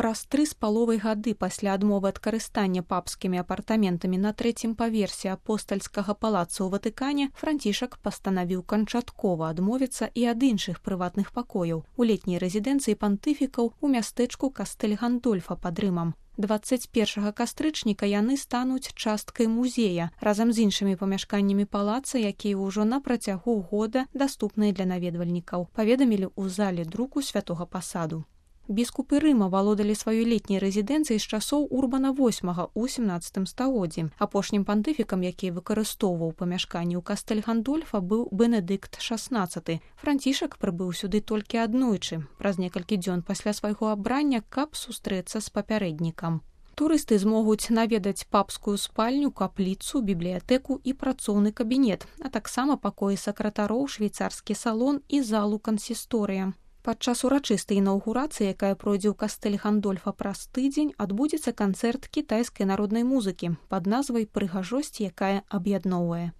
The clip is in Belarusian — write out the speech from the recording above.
Праз 3,5 гады пасля адмовы ад карыстання папскімі апартаментамі на 3-м паверсе апостальскага палаца ў Ватыкане Францішак пастанавіў канчаткова адмовіцца і ад іншых прыватных пакояў у летняй рэзідэнцыі пантыфікаў у мястэчку Кастэль-Гандольфа пад Рымам. 21 кастрычніка яны стануць часткай музея разам з іншымі памяшканнямі палаца, якія ўжо на працягу года даступныя для наведвальнікаў, паведамілі ў зале друку Святога Пасаду. Біскупы Рыма валодалі сваёй летняй рэзідэнцыяй з часоў Урбана VIII ў 17 стагоддзі. Апошнім пантыфікам, які выкарыстоўваў памяшканні ў Кастэль-Гандольфа, быў Бенедыкт XVI. Францішак прыбыў сюды толькі аднойчы, праз некалькі дзён пасля свайго абрання, каб сустрэцца з папярэднікам. Турысты змогуць наведаць папскую спальню, капліцу, бібліятэку і працоўны кабінет, а таксама пакоі сакратароў, швейцарскі салон і залу кансісторыя. Падчас урачыстай інаўгурацыі, якая пройдзе ў Кастэль-Гандольфа праз тыдзень, адбудзецца канцэрт кітайскай народнай музыкі пад назвай «Прыгажосць, якая аб'ядноўвае».